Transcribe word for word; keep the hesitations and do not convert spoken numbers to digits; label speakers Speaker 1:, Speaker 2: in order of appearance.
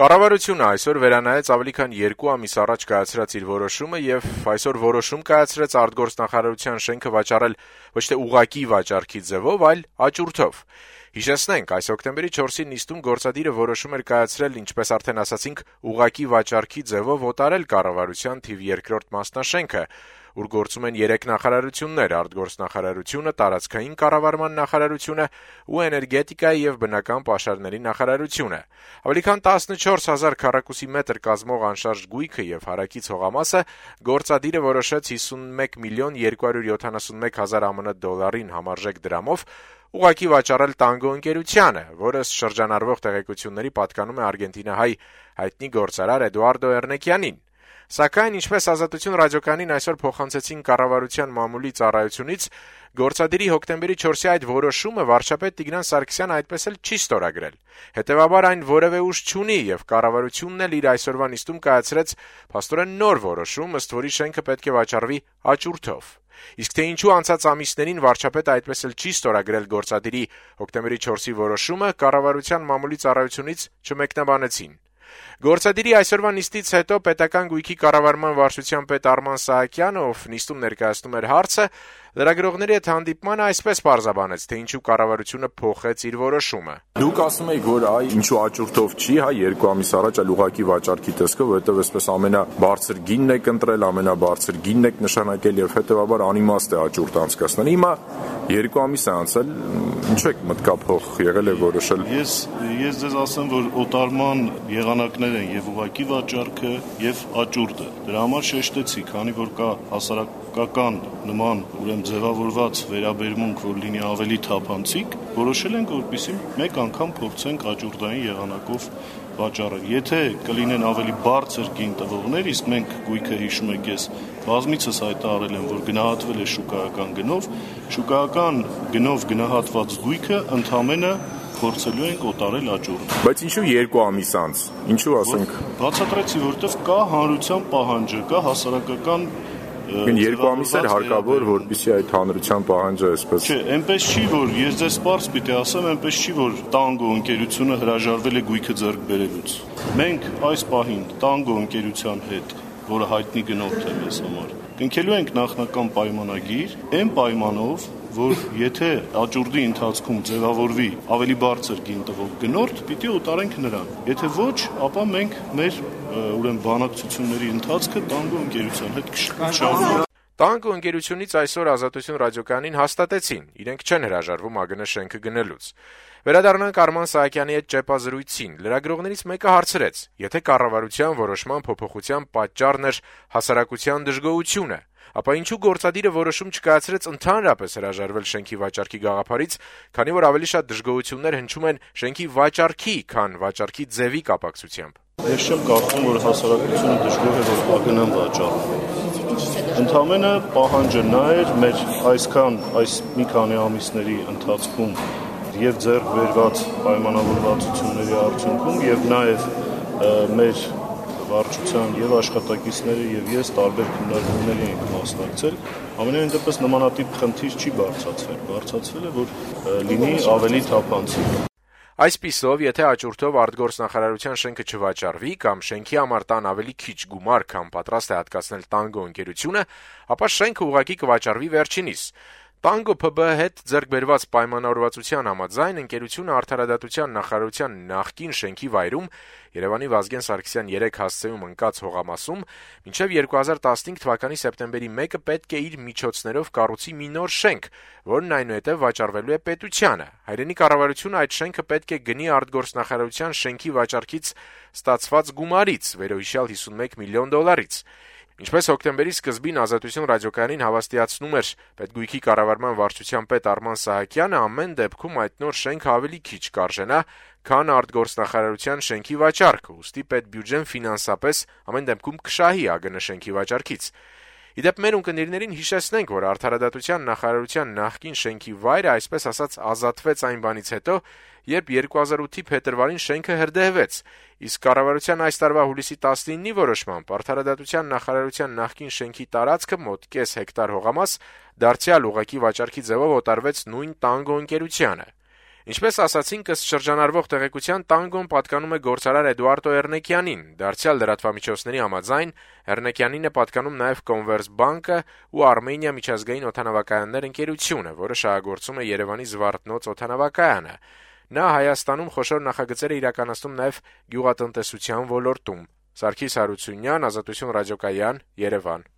Speaker 1: Կառավարությունը այսօր վերանայեց ավելի քան երկու ամիս առաջ կայացրած իր որոշումը եւ այսօր որոշում կայացրեց արտգործնախարարության շենքը վաճառել ոչ թե ուղղակի վաճառքի ձևով, այլ աճուրդով։ Հիշեցնենք, այս հոկտեմբերի չորսին նիստում գործադիրը որոշում էր կայացրել, ինչպես արդեն ասացինք, ուղղակի վաճառքի ձևով օտարել կառավարության թիվ երկրորդ մասնաշենքը, ուր գործում են երեք նախարարություններ՝ արտգործնախարարությունը, տարածքային կառավարման նախարարությունը ու էներգետիկայի եւ բնական պաշարների նախարարությունը։ Ավելի քան տասնչորս հազար քառակուսի մետր կազմող անշարժ գույքը եւ հարակից հողամասը գործադիրը որոշեց հիսունմեկ միլիոն երկու հարյուր յոթանասունմեկ հազար ԱՄՆ դոլարին համարժեք դրամով ուղղակի վաճառել Տանգո ընկերությանը, որը շրջանառվող տեղեկությունների պատկանում է արգենտինահայ հայտնի գործարար Էդուարդո Էրնեկյանին։ Սակայն, ինչպես Ազատություն ռադիոկայանին այսօր փոխանցեցին կառավարության մամուլի ծառայությունից, գործադիրի հոկտեմբերի չորսի այդ որոշումը վարչապետ Տիգրան Սարգսյանը այդպես էլ չի ստորագրել։ Հետևաբար այն որևէ ուժ չունի եւ կառավարությունն էլ իր այսօրվա նիստում կայացրեց փաստորեն նոր որոշում, ըստ որի շենքը պետք է վաճառվի աճուրդով։ Իսկ թե ինչու անցած ամիսներին վարչապետը այդպես էլ չի ստորագրել գործադիրի հոկտեմբերի չորսի որոշումը, կառավարության մամուլի ծառայությունից չմեկնաբանեցին։ Գործադիրի այսօրվա նիստից հետո պետական գույքի կառավարման վարչության պետ Արման Սահակյանը, ով նիստում ներկայացնում էր հարցը, լրագրողների հետ հանդիպմանը այսպես պարզաբանեց, թե ինչու կառավարությունը փոխեց իր որոշումը։
Speaker 2: Դուք ասում եք, որ այ ինչու աճուրդով չի, հա, երկու ամիս առաջ այլ ուղղակի վաճառքի տեսքով, որովհետև այսպես ամենաբարձր գինն եք ընտրել, ամենաբարձր գինն եք նշանակել եւ հետեւաբար անիմաստ է աճուրդ անցկացնել։ Հիմա երկու ամիս է անցել, ինչու եք մտկափող եղել եւ որոշել։
Speaker 3: Ես ես ձեզ ասեմ, որ օտարման եղանակներ են եւ ուղղակի վաճառքը եւ աճուրդը։ Դրա համար շեշտեցի, քանի որ կա հասարակական նման ուրեմն ձևավորված վերաբերմունք, որ լինի ավելի թափանցիկ, որոշել ենք, որպեսզի մեկ անգամ փորձենք աճուրդային եղանակով վաճառել։ Եթե կլինեն ավելի բարձր գին տվողներ, իսկ մենք գույքը հիշում եք, ես բազմիցս հայտարարել եմ, որ գնահատվել է շուկայական գնով, շուկայական գնով գնահատված գույքը ընդամենը փորձելու ենք օտարել աճուրդ։
Speaker 2: Բայց ինչու երկու ամիս անց։ Ինչու ասենք։
Speaker 3: Բացատրեցի, որովհետև կա հանրության պահանջը, կա հասարակական
Speaker 2: երկու ամիս էր հարկավոր, որպեսզի այդ հանրության պահանջը այսպես։
Speaker 3: Չէ, այնպես չի, որ ես ձեզ սպարս պիտի ասեմ, այնպես չի, որ Տանգո ընկերությունը հրաժարվել է գույքը ձեռք բերելուց։ Մենք այս պահին Տանգո ընկերության հետ, որը հայտնի գնորդ է մեզ համար, կնքելու ենք նախնական պայմանագիր, այն պայմանով, որ եթե աճուրդի ընթացքում ձևավորվի ավելի բարձր գին տվող գնորդ, պիտի օտարենք նրան։ Եթե ոչ, ապա մենք մեր ուրեմն բանակցությունների ընթացքը Տանգո ընկերության հետ կշարունակենք։
Speaker 1: Տանգո ընկերությունից այսօր Ազատություն ռադիոկայանին հաստատեցին, իրենք չեն հրաժարվում ԱԳՆ շենքը գնելուց։ Վերադառնանք Արման Սահակյանի հետ ճեպազրույցին։ Լրագրողներից մեկը հարցրեց, եթե կառավարության որոշման փոփոխության պատճառն էր հասարակության դժգոհությունը, ապա ինչու գործադիրը որոշում չկայացրեց ընդհանրապես հրաժարվել շենքի վաճառքի գաղափարից, քանի որ ավելի շատ դժգոհություններ հնչում են շենքի վաճառքի, քան վաճառքի ձևի կապակցությամբ։
Speaker 3: Ես չեմ կարծում, որ հասարակությունը դժգոհ է, որ ԱԳՆ-ն վաճառվում։ Ընդամենը պահանջը նա էր մեր այսքան այս մի քանի ամիսների ընթացքում եւ ձեռք բերված պայմանավորվածությունների արդյունքում եւ նաեւ մեր վարչության եւ աշխատակիցները եւ ես տարբեր քննարկումների ենք մասնակցել, ամենայն դեպս նմանատիպ խնդիր չի բարձրացվել, բարձրացվել է, որ լինի ավելի թափանցիկ։
Speaker 1: Այսպիսով, եթե աճուրդով արտգործնախարարության շենքը չվաճառվի կամ շենքի համար տան ավելի քիչ գումար, քան պատրաստ է հատկացնել Տանգո ընկերությունը, ապա շենքը ուղղակի կվաճառվի վերջինիս։ Տանգո ՓԲ հետ ձեռք բերված պայմանավորվածության համաձայն ընկերությունը արդարադատության նախարարության նախկին շենքի վայրում Երևանի Վազգեն Սարգսյան երեք հասցեում ընկած հողամասում մինչև երկու հազար տասնհինգ թվականի սեպտեմբերի մեկը պետք է իր միջոցներով կառուցի մի նոր շենք, որն այնուհետև վաճառվելու է պետությանը։ Հայրենի կառավարությունը այդ շենքը պետք է գնի արտգործնախարարության շենքի վաճառքից ստացված գումարից, վերոհիշյալ հիսունմեկ միլիոն դոլարից։ Ինչպես հոկտեմբերի սկզբին Ազատություն ռադիոկայանին հավաստիացնում էր պետգույքի կառավարման վարչության պետ Արման Սահակյանը, ամեն դեպքում այդ նոր շենքը ավելի քիչ կարժենա, քան արտգործնախարարության շենքի վաճառքը, ուստի պետբյուջեն ֆինանսապես ամեն դեպքում կշահի ԱԳՆ շենքի վաճառքից։ Իդեպ մեր ունկնդիրներին հիշեցնենք, որ արդարադատության նախարարության նախկին շենքի վայրը այսպես ասած ազատվեց այն բանից հետո, երբ երկու հազար ութի փետրվարին շենքը հրդեհվեց, իսկ կառավարության այս տարվա հուլիսի տասնինի որոշմամբ արդարադատության նախարարության նախկին շենքի տարածքը մոտ կես հեկտար հողամաս դարձյալ ուղղակի վաճառքի ձևով օտարվեց նույն Տանգո ընկերությանը։ Ինչպես ասացինք, ըստ շրջանառվող տեղեկության տանգոն պատկանում է գործարար Էդուարդո Էռնեկյանին, դարձյալ լրատվամիջոցների համաձայն Էռնեկյանին է պատկանում նաև Կոնվերսբանկը ու Արմենիա միջազգային օդանավակայաններ ընկերությունը, որը շահագործում է Երևանի Զվարթնոց օդանավակայանը։ Նա Հայաստանում խոշոր նախագծեր է իրականացնում նաև գյուղատնտեսության ոլորտում։ Սարգիս Հարությունյան, Ազատություն ռադիոկայան, Երևան։